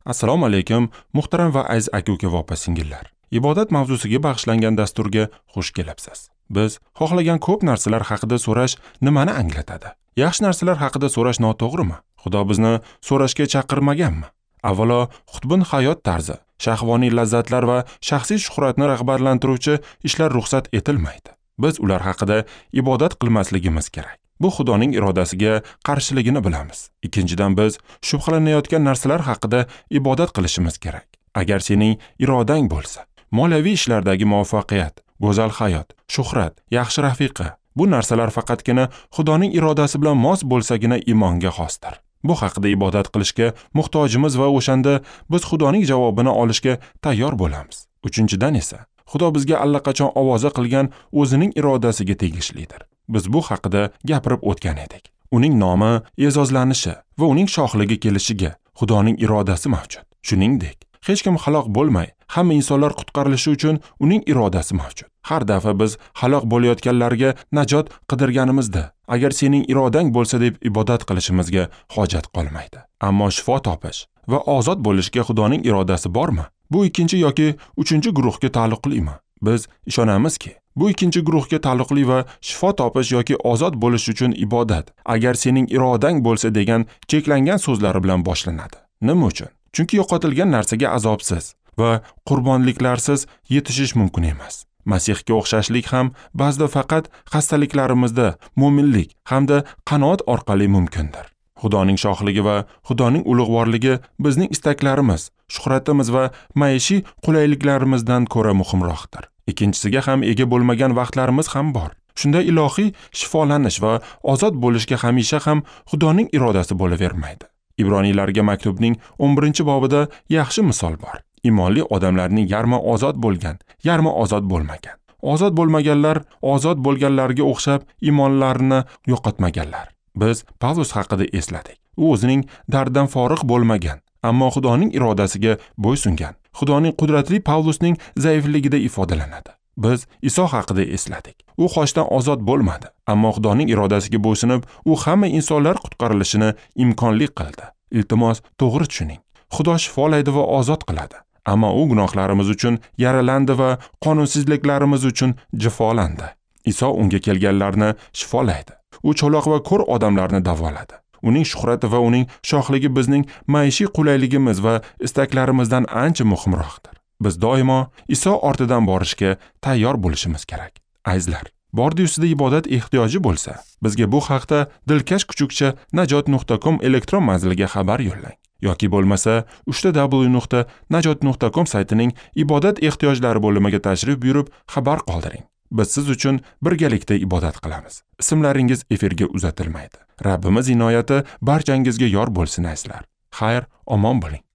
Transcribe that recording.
Assalomu alaykum, muhtaram va aziz aka-uka va opa-singillar. Ibodat mavzusiga bag'ishlangan dasturga xush kelibsiz. Biz xohlagan ko'p narsalar haqida so'rash nimani anglatadi? Yaxshi narsalar haqida so'rash noto'g'rimi? Xudo bizni so'rashga chaqirmaganmi? Avvalo, xutbin hayot tarzi, shahvoniy lazzatlar va shaxsiy shuhratni rag'batlantiruvchi ishlar ruxsat etilmaydi. Biz ular haqida ibodat qilmasligimiz kerak. Bu Xudoning irodasiga qarshiligini bilamiz. Ikkinchidan, biz shubhalanayotgan narsalar haqida ibodat qilishimiz kerak. Agar sening irodang bo'lsa, moliyaviy ishlardagi muvaffaqiyat, go'zal hayot, shuhrat, yaxshi rafiqa, bu narsalar faqatgina Xudoning irodasi bilan mos bo'lsagina iymonga xosdir. Bu haqida ibodat qilishga muhtojimiz va o'shanda biz Xudoning javobini olishga tayyor bo'lamiz. Uchinchidan esa, Xudo bizga allaqachon ovoza qilgan o'zining irodasiga tegishlidir. Biz bu haqida gapirib o'tgan edik. Uning nomi e'zozlanishi va uning shohligi kelishiga Xudoning irodasi mavjud. Shuningdek, hech kim halok bo'lmay, hamma insonlar qutqarilishi uchun uning irodasi mavjud. Har dafa biz halok bo'layotganlarga najot qidirganimizda, agar sening irodang bo'lsa deb ibodat qilishimizga hojat qolmaydi. Ammo shifo topish va ozod bo'lishga Xudoning irodasi bormi? Bu ikkinchi yoki uchinchi guruhga taalluqlimi? Biz ishonamizki, bu ikkinchi guruhga taalluqli va shifo topish yoki ozod bo'lish uchun ibodat, agar sening irodang bo'lsa degan cheklangan so'zlari bilan boshlanadi. Nima uchun? Chunki yo'qotilgan narsaga azobsiz va qurbonliklarsiz yetishish mumkin emas. Masihga o'xshashlik ham ba'zida faqat xastaliklarimizda mo'minlik hamda qanoat orqali mumkindir. Xudoning shohligi va Xudoning ulug'vorligi bizning istaklarimiz, shuhratimiz va maishiy qulayliklarimizdan ko'ra muhimroqdir. Ikkinchisiga ham ega bo'lmagan vaqtlarimiz ham bor. Shunda ilohiy shifolanish va ozod bo'lishga hamisha ham Xudoning irodasi bo'lavermaydi. Ibroniylarga maktubning 11-bobida yaxshi misol bor. Imonli odamlarning yarmi ozod bo'lgan, yarmi ozod bo'lmagan. Ozod bo'lmaganlar ozod bo'lganlarga o'xshab imonlarini yo'qotmaganlar. Biz Pavlus haqida esladik. U o'zining dardidan forig' bo'lmagan, ammo Xudoning irodasiga bo'ysungan. Xudoning qudratli Pavlusning zaifligida ifodalanadi. Biz Iso haqida esladik. U xochdan ozod bo'lmadi, ammo Xudoning irodasiga bo'ysunib, u hamma insonlar qutqarilishini imkonli qildi. Iltimos, to'g'ri tushuning. Xudo shifolaydi va ozod qiladi, ammo u gunohlarimiz uchun yaralandi va qonunsizliklarimiz uchun jafolandi. Iso unga kelganlarni shifolaydi. U cho'loq va ko'r odamlarni davoladi. Uning shuhrati va uning shohligi bizning maishiy qulayligimiz va istaklarimizdan ancha muhimroqdir. Biz doimo Iso ortidan borishga tayyor bo'lishimiz kerak. Azizlar, bordi ustida ibodat ehtiyoji bo'lsa, bizga bu haqda dilkash kuchukcha najot.com elektron manziliga xabar yo'llang yoki bo'lmasa www.najot.com saytining ibodat ehtiyojlari bo'limiga tashrif buyurib xabar qoldiring. Biz siz uchun birgalikda ibodat qilamiz. Ismlaringiz efirga uzatilmaydi. Rabbimiz inoyati barchangizga yor bo'lsin azizlar. Xayr, omon bo'ling.